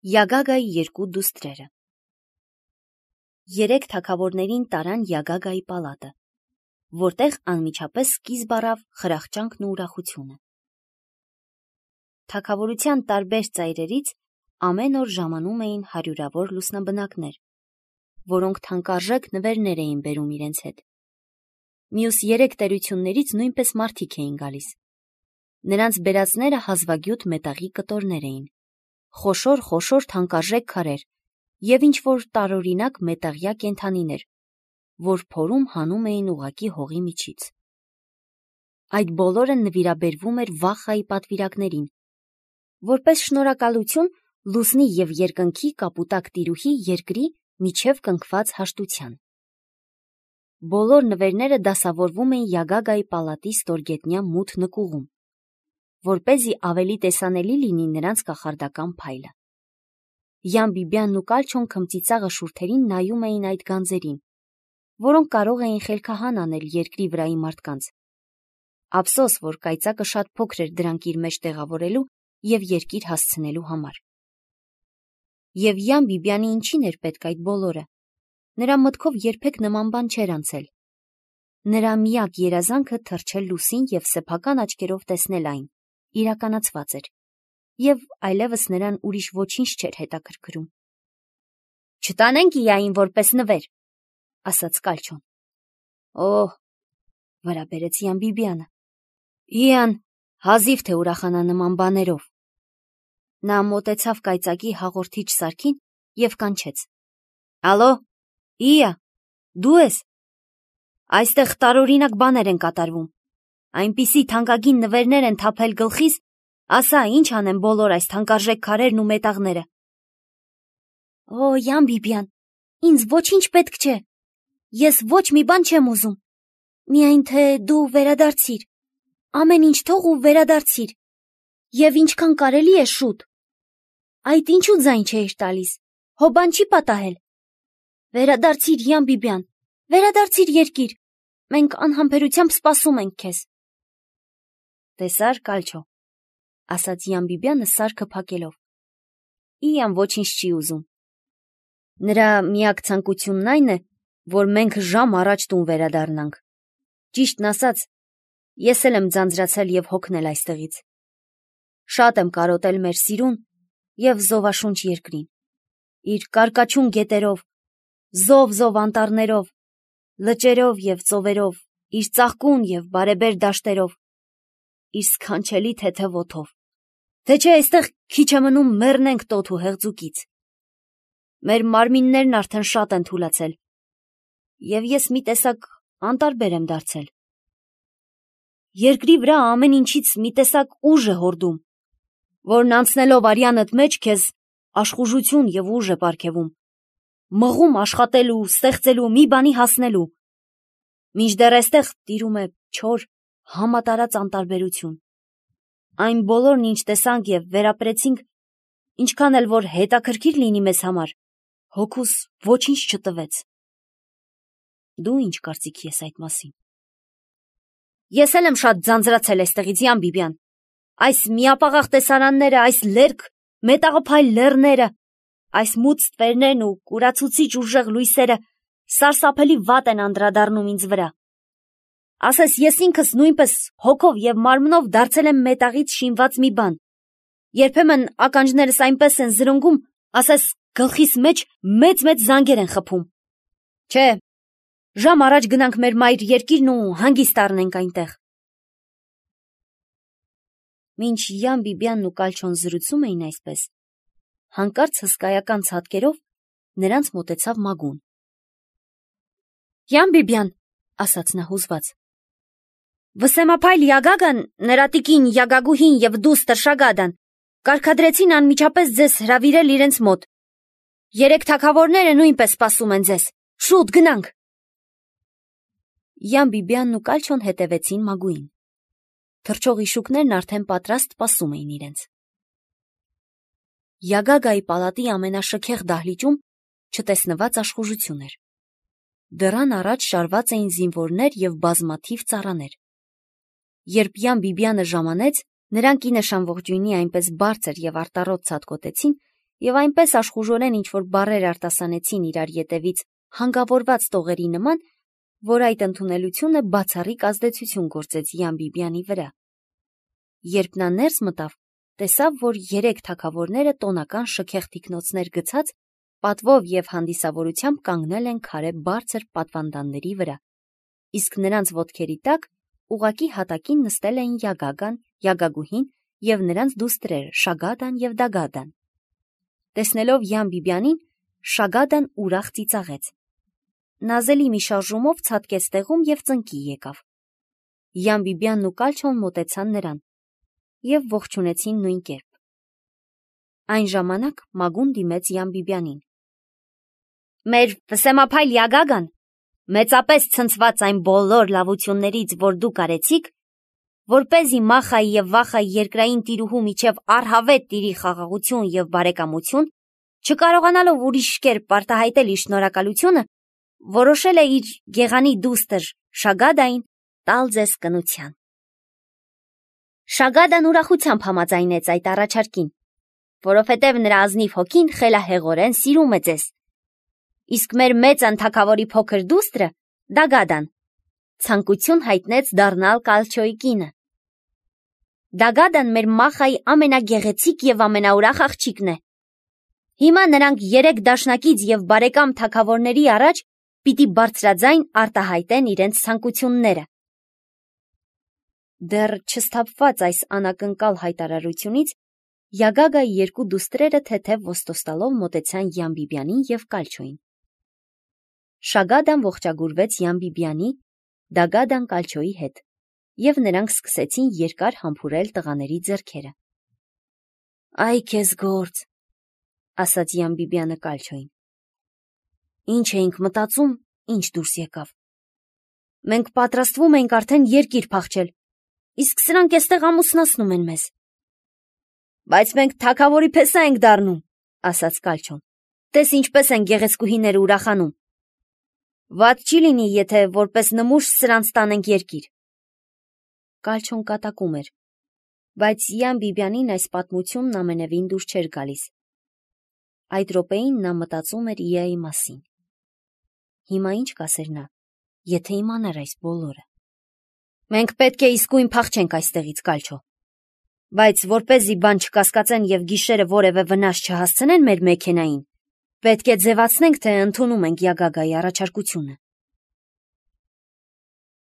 Յագագայի երկու դուստրերը։ Երեք թագավորներին տարան Յագագայի պալատը, որտեղ անմիջապես սկիզբ առավ խրախճանքն ու ուրախությունը։ Թագավորության տարբեր ծայրերից ամեն օր ժամանում էին հարյուրավոր լուսնաբնակներ, որոնք թանկարժեք նվերներ էին բերում իրենց հետ։ Մյուս երեք տերություններից նույնպես մարդիկ էին գալիս։ Նրանց բերածները հազվագյուտ մետաղի կտորներ էին, խոշոր թանկարժեք քարեր և ինչ-որ տարօրինակ մետաղյա կենդանիներ, որ փորում հանում էին ուղղակի հողի միջից։ Այդ բոլորը նվիրաբերվում էր Վախայի պատվիրակներին, որպես շնորհակալություն լուսնի և երկնքի կապուտակ տիրուհի երկրի միջև կնքված հաշտության։ Բոլոր նվերները դասավորվում էին Յագագայի պալատի ստորգետնյա մութ նկուղում, որպեսզի ավելի տեսանելի լինի նրանց կախարդական փայլը։ Յան-Բիբյանն ու Կալչոն քմծիծաղը շուրթերին նայում էին այդ գանձերին, որոնք կարող էին խելքահան անել երկրի վրայի մարդկանց։ Ափսոս, որ կայծակը շատ փոքր էր դրանք իր մեջ տեղավորելու և երկիր հասցնելու համար։ Եվ Յան-Բիբյանի ինչին էր պետք այդ բոլորը։ Նրա մտքով երբեք նման բան չէր անցել։ Նրա միակ երազանքը թռչել լուսին և սեփական աչքերով տեսնել այն իրականացված էր, և այլևս նրան ուրիշ ոչինչ չէր հետաքրքրում։ «Չտանենք Իային որպես նվեր», ասաց Կալչոն։ «Օհ», վրա բերեց Յան-Բիբյանը, «Իան հազիվ թե ուրախանա նման բաներով»։ Նա մոտեցավ կայծակի հաղորդիչ սարքին և կանչեց. «Ալո, Իա, դու ես։ Այստեղ տարօրինակ բաներ են կատարվում։ Այնպիսի թանկագին նվերներ են թափել գլխիս, ասա, ինչ անեմ բոլոր այս թանկարժեք քարերն ու մետաղները»։ «Օ, Յան-Բիբյան, ինձ ոչինչ պետք չէ։ Ես ոչ մի բան չեմ ուզում։ Միայն թե դու վերադարձիր, ամեն ինչ թող ու վերադարձիր, և ինչքան կարելի է շուտ։ Այդ ինչու ձայն չէիր տալիս, հո բան չի պատահել։ Վերադարձիր, Յան-Բիբյան, վերադարձիր երկիր, մենք անհամբերությամբ սպասում ենք քեզ»։ «Տեսա՞ր, Կալչո», ասաց Յան-Բիբյանը սարքը փակելով, «Իան ոչինչ չի ուզում։ Նրա միակ ցանկությունն այն է, որ մենք ժամ առաջ տուն վերադառնանք։ Ճիշտն ասած, ես էլ եմ ձանձրացել և հոգնել այստեղից։ Շատ եմ կարոտել մեր սիրուն և զովաշունչ երկրին, իր կարկաչուն գետերով, զով անտառներով, լճերով և ծովերով, իր ծաղկուն և բարեբեր դաշտերով, իր սքանչելի թեթև օդով, թե չէ այստեղ քիչ է մնում մեռնենք տոթ ու հեղձուկից։ Մեր մարմիններն արդեն շատ են թուլացել, և ես մի տեսակ անտարբեր եմ դարձել։ Երկրի վրա ամեն ինչից մի տեսակ ուժ է հորդում, որն անցնելով արյանդ մեջ քեզ աշխուժություն և ուժ է պարգևում, մղում աշխատելու, ստեղծելու, մի բանի հասնելու։ Մինչդեռ այստեղ տիրում է չոր, համատարած անտարբերություն։ Այն բոլորն, ինչ տեսանք և վերապրեցինք, ինչքան էլ որ հետաքրքիր լինի մեզ համար, հոգուս ոչինչ չտվեց։ Դու ինչ կարծիքի ես այդ մասին»։ «Ես էլ եմ շատ ձանձրացել այստեղից, Յան-Բիբյան։ Այս միապաղաղ տեսարանները, այս լերկ, մետաղափայլ լեռները, այս մութ ստվերներն ու կուրացուցիչ ուժեղ լույսերը սարսափելի վատ են անդրադառնում ինձ վրա։ Ասես ես ինքս նույնպես հոգով և մարմնով դարձել եմ մետաղից շինված մի բան։ Երբեմն ականջներս այնպես են զրնգում, ասես գլխիս մեջ մեծ զանգեր են խփում։ Չէ, ժամ առաջ գնանք մեր մայր երկիրն ու հանգիստ առնենք այնտեղ»։ Մինչ Յան-Բիբյանն ու Կալչոն զրուցում էին այսպես, հանկարծ հսկայական ցատկերով նրանց մոտեցավ Մագուն։ «Յան-Բիբյան», ասաց նա հուզված, «վսեմափայլ Յագագան, նրա տիկին Յագագուհին և դուստր Շագադան կարգադրեցին անմիջապես ձեզ հրավիրել իրենց մոտ։ Երեք թագավորները նույնպես սպասում են ձեզ։ Շուտ գնանք»։ Յան-Բիբյանն ու Կալչոն հետևեցին Մագուին։ Թռչող իշուկներն արդեն պատրաստ սպասում էին իրենց։ Յագագայի պալատի ամենաշքեղ դահլիճում չտեսնված աշխուժություն էր։ Դռան առաջ շարված էին զինվորներ և բազմաթիվ ծառաներ։ Երբ Յան-Բիբյանը ժամանեց, նրանք ի նշան ողջույնի այնպես բարձր և արտառոտ ցատկոտեցին, եւ այնպես աշխուժորեն ինչ-որ բառեր արտասանեցին իրար ետևից հանգավորված տողերի նման, որ այդ ընդունելությունը բացառիկ ազդեցություն գործեց Յան-Բիբյանի վրա։ Երբ նա ներս մտավ, տեսավ, որ 3 թագավորները տոնական շքեղ թիկնոցներ գցած, պատվով եւ հանդիսավորությամբ կանգնել են քարե բարձր պատվանդանների վրա, իսկ նրանց ոտքերի տակ ուղակի հատակին նստել էին Յագագան, Յագագուհին եւ նրանց դուստրերը Շագադան եւ Դագադան։ Տեսնելով Յան-Բիբյանին, Շագադան ուրախ ծիծաղեց։ Նազելի մի շարժումով ցատկեց տեղում եւ ծնկի եկավ։ Յան-Բիբյանն ու Կալչոն մոտեցան նրան եւ ողջունեցին նույն կերպ։ Այն ժամանակ Մագուն դիմեց Յան-Բիբյանին։ Մեր վսեմափայլ Յագագան, մեծապես ցնցված այն բոլոր լավություններից, որ դուք արեցիք, որպեսզի Մախայի եւ Վախայի երկրային տիրուհու միջև առհավետ տիրի խաղաղություն եւ բարեկամություն, չկարողանալով ուրիշ կերպ արտահայտել իր շնորհակալությունը, որոշել է իր գեղանի դուստր Շագադային տալ ձեզ կնության։ Շագադան ուրախությամբ համաձայնեց այդ առաջարկին, որովհետև նրա ազնիվ հոգին խելահեղորեն սիրում է ձեզ։ Իսկ մեր մեծ թագավորի փոքր դուստրը Դագադան ցանկություն հայտնեց դառնալ Կալչոյի կինը։ Դագադան մեր Մախայի ամենագեղեցիկ եւ ամենաուրախ աղջիկն է։ Հիմա նրանք 3 դաշնակից եւ բարեկամ թագավորների առաջ պիտի բարձրաձայն արտահայտեն իրենց ցանկությունները։ Դեռ չսթափված այս անակնկալ հայտարարությունից Յագագայի 2 դուստրերը թեթև ոստոստալով մոտեցան Յան-Բիբյանին եւ Կալչոյին։ Շագադան ողջագուրվեց Յան-Բիբյանի, Դագադան Կալչոյի հետ, եւ նրանք սկսեցին երկար համբուրել տղաների ձեռքերը։ Այ քեզ գործ, ասաց Յան-Բիբյանը Կալչոյին։ Ինչ էինք մտածում, ինչ դուրս եկավ։ Մենք պատրաստվում էինք արդեն երկիր փախչել, իսկ սրանք էստեղ ամուսնացնում են մեզ։ Բայց մենք թագավորի փեսա ենք դառնում, ասաց Կալչոն։ Տես ինչպես են գեղեցկուհիները ուրախանում։ Վատ չի լինի, եթե որպես նմուշ սրանց տանենք երկիր։ Կալչոն կատակում էր, բայց Յան-Բիբյանին այս պատմությունն ամենևին դուր չէր գալիս։ Այդ րոպեին նա մտածում էր Իայի մասին։ Հիմա ինչ կասեր նա, եթե իմանար այս բոլորը։ Մենք պետք է իսկույն փախչենք այստեղից, Կալչո։ Բայց որպեսզի բան չկասկածեն եւ գիշերը որևէ վնաս չհասցնեն մեր մեքենային, պետք է ձևացնենք, թե ընդունում ենք Յագագայի առաջարկությունը։